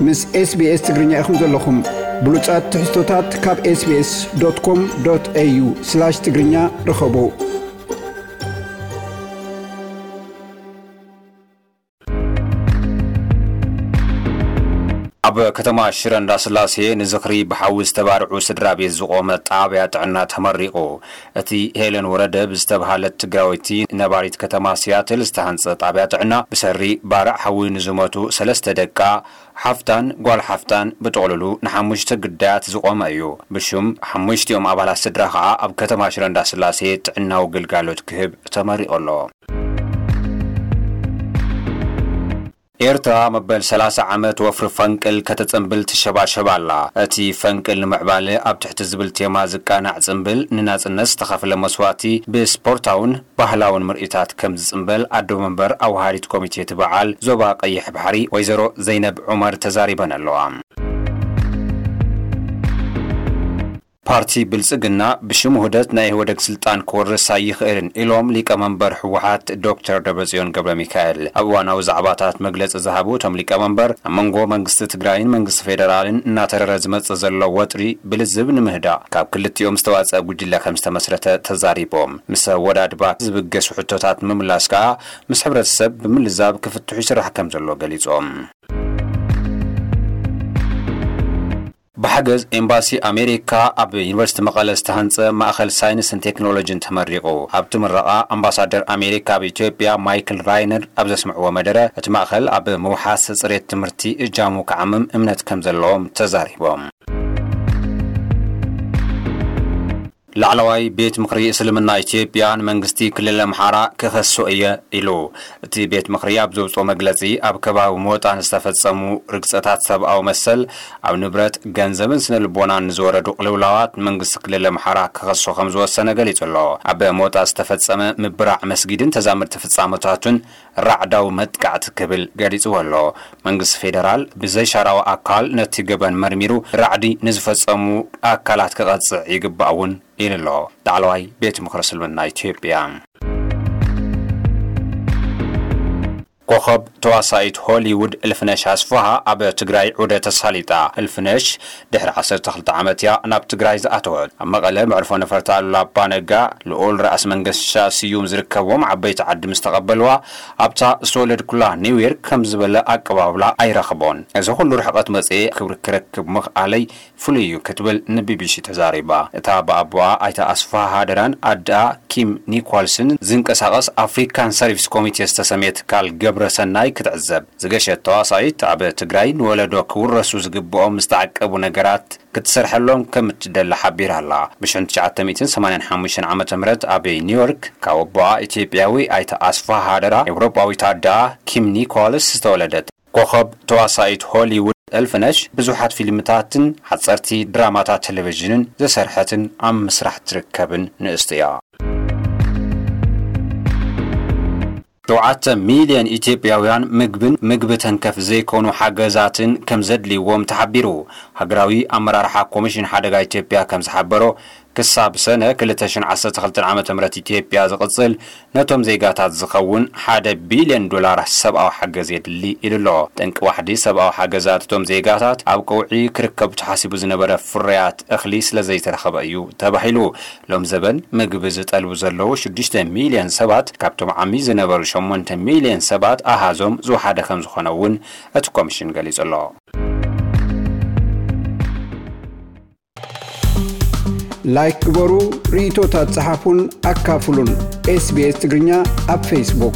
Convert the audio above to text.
ምስ SBS ትግርኛ ኢኹም ዘለኹም። ብሉጻት ትሕዝቶታት ካብ SBS.com.au/ትግርኛ ርኸቡ። ኣብ ከተማ ሽረ እንዳስላሴ ንዝኽሪ ብሓዊ ዝተባርዑ ስድራ ቤት ዝቖመ ጣብያ ጥዕና ተመሪቑ። እቲ ሄለን ወረደ ብዝተብሃለት ትግራወይቲ ነባሪት ከተማ ሲያትል ዝተሃንጸ ጣብያ ጥዕና ብሰሪ ባርዕ ሓዊ ንዝሞቱ ሰለስተ ደቃ፣ ሓፍታን ጓል ሓፍታን ብጥቕልሉ ንሓሙሽተ ግዳያት ዝቖመ እዩ። ብሹም ሓሙሽቲኦም ኣባላት ስድራ ኸኣ ኣብ ከተማ ሽረ እንዳስላሴ ጥዕናዊ ግልጋሎት ክህብ ተመሪቑ ኣሎ። ኤርትራ መበል ሰላሳ ዓመት ወፍሪ ፈንቅል ከተጽንብል ትሸባሸብ ኣላ። እቲ ፈንቅል ንምዕባለ ኣብ ትሕቲ ዝብል ቴማ ዝቃናዕ ጽንብል፣ ንናጽነት ዝተኸፍለ መስዋእቲ ብስፖርታውን ባህላውን ምርኢታት ከም ዝጽንበል ኣዶ መንበር ኣውሃዲት ኮሚቴ እቲ በዓል ዞባ ቀይሕ ባሕሪ ወይዘሮ ዘይነብ ዑመር ተዛሪበን ኣለዋ። ፓርቲ ብልጽግና ብሽም ውህደት ናይ ኢህወደግ ስልጣን ክወርስ ኣይኽእልን ኢሎም ሊቀመንበር ህወሓት ዶክተር ደብረጽዮን ገብረ ሚካኤል። ኣብ እዋናዊ ዛዕባታት መግለጺ ዝሃቡ እቶም ሊቀመንበር፣ ኣብ መንጎ መንግስቲ ትግራይን መንግስቲ ፌደራልን እናተረረ ዝመጽእ ዘሎ ወጥሪ ብልዝብ ንምህዳእ ካብ ክልቲኦም ዝተዋጸአ ጉጅለ ከም ዝተመስረተ ተዛሪቦም። ምስ ኣወዳድባ ዝብገሱ ሕቶታት ንምምላስ ከኣ ምስ ሕብረተሰብ ብምልዛብ ክፍትሑ ይስራሕ ከም ዘሎ ገሊጾም። ብሓገዝ ኤምባሲ ኣሜሪካ ኣብ ዩኒቨርሲቲ መቐለ ዝተሃንጸ ማእኸል ሳይንስን ቴክኖሎጂን ተመሪቑ። ኣብቲ ምረቓ ኣምባሳደር ኣሜሪካ ኣብ ኢትዮጵያ ማይክል ራይነር ኣብ ዘስምዕዎ መደረ፣ እቲ ማእኸል ኣብ ምውሓስ ጽሬት ትምህርቲ እጃሙ ክዓምም እምነት ከም ዘለዎም ተዛሪቦም። ላዕለዋይ ቤት ምኽሪ እስልምና ኢትዮጵያ ንመንግስቲ ክልል ኣምሓራ ክኸሶ እየ ኢሉ። እቲ ቤት ምኽሪ ኣብ ዘውፅኦ መግለፂ፣ ኣብ ከባቢ ሞጣ ንዝተፈፀሙ ርግፀታት ሰብኣዊ መሰል፣ ኣብ ንብረት፣ ገንዘብን ስነ ልቦናን ንዝወረዱ ቅልውላዋት ንመንግስቲ ክልል ኣምሓራ ክኸሶ ከም ዝወሰነ ገሊጹ ኣሎ። ኣብ ሞጣ ዝተፈጸመ ምብራዕ መስጊድን ተዛመድቲ ፍጻመታቱን ራዕዳዊ መጥቃዕቲ ክብል ገሊጽዎ ኣሎ። መንግስቲ ፌደራል ብዘይሻራዊ ኣካል ነቲ ገበን መርሚሩ ራዕዲ ንዝፈጸሙ ኣካላት ክቐጽዕ ይግባእ እውን ኢሉ ኣሎ ላዕለዋይ ቤት ምኽሪ እስልምና ኢትዮጵያ። ኮኸብ ተዋሳኢት ሆሊውድ እልፍነሽ ኣስፍሃ ኣብ ትግራይ ዑደት ተሳሊጣ። እልፍነሽ ድሕሪ ዓሰርተ ክልተ ዓመት እያ ናብ ትግራይ ዝኣተወት። ኣብ መቐለ መዕርፎ ነፈርቲ ኣሉላ ኣባ ነጋ ልኡል ራእሲ መንገሻ ስዩም ዝርከብዎም ዓበይቲ ዓዲ ምስ ተቐበልዋ፣ ኣብታ ዝተወለድኩላ ኒውዮርክ ከም ዝበለ ኣቀባብላ ኣይረኽቦን። እዚ ኩሉ ርሕቐት መጽኤ ክብሪ ክረክብ ምኽኣለይ ፍሉይ እዩ ክትብል ንቢቢሲ ተዛሪባ። እታ ብኣቦኣ ኣይተ ኣስፍሃ ሃደራን ኣደኣ ኪም ኒኮልስን ዝንቀሳቐስ ኣፍሪካን ሰርቪስ ኮሚቴ ዝተሰምየ ትካል ግብረ ሰናይ ክትዕዘብ ዝገሸት ተዋሳኢት፣ ኣብ ትግራይ ንወለዶ ክውረሱ ዝግብኦም ዝተዓቀቡ ነገራት ክትሰርሐሎም ከም እትደሊ ሓቢራ ኣላ። ብ ትሽዓተ ሚእትን ሰማንያን ሓሙሽተን ዓመተ ምህረት ኣብ ኒውዮርክ ካብ ኣቦኣ ኢትዮጵያዊ ኣይተ ኣስፍሃ ሃደራ፣ ኤውሮጳዊት ኣደኣ ኪም ኒኮልስ ዝተወለደት ኮኸብ ተዋሳኢት ሆሊውድ እልፍነሽ ብዙሓት ፊልምታትን ሓጸርቲ ድራማታት ቴሌቪዥንን ዝሰርሐትን ኣብ ምስራሕ ትርከብን ንእስቲ እያ። ሸውዓተ ሚልዮን ኢትዮጵያውያን ምግብን ምግቢ ተንከፍ ዘይኮኑ ሓገዛትን ከም ዘድልይዎም ተሓቢሩ። ሃገራዊ ኣመራርሓ ኮሚሽን ሓደጋ ኢትዮጵያ ከም ዝሓበሮ፣ ክሳብ ሰነ ክልተ ሽሕን ዓሰርተ ክልተን ዓመተ ምህረት ኢትዮጵያ ዝቕጽል ነቶም ዜጋታት ዝኸውን ሓደ ቢልዮን ዶላር ሰብኣዊ ሓገዝ የድሊ ኢሉ ኣሎ። ጠንቂ ዋሕዲ ሰብኣዊ ሓገዛት እቶም ዜጋታት ኣብ ቀውዒ ክርከቡ ተሓሲቡ ዝነበረ ፍርያት እኽሊ ስለ ዘይተረኸበ እዩ ተባሂሉ። ሎም ዘበን ምግቢ ዝጠልቡ ዘለዉ ሽዱሽተ ሚልዮን ሰባት ካብቶም ዓሚ ዝነበሩ ሸሞንተ ሚልዮን ሰባት ኣሃዞም ዝወሓደ ከም ዝኾነ እውን እቲ ኮሚሽን ገሊጹ ኣሎ። ላይክ ግበሩ፣ ርእይቶታት ጸሓፉን ኣካፍሉን። ኤስቢኤስ ትግርኛ ኣብ ፌስቡክ።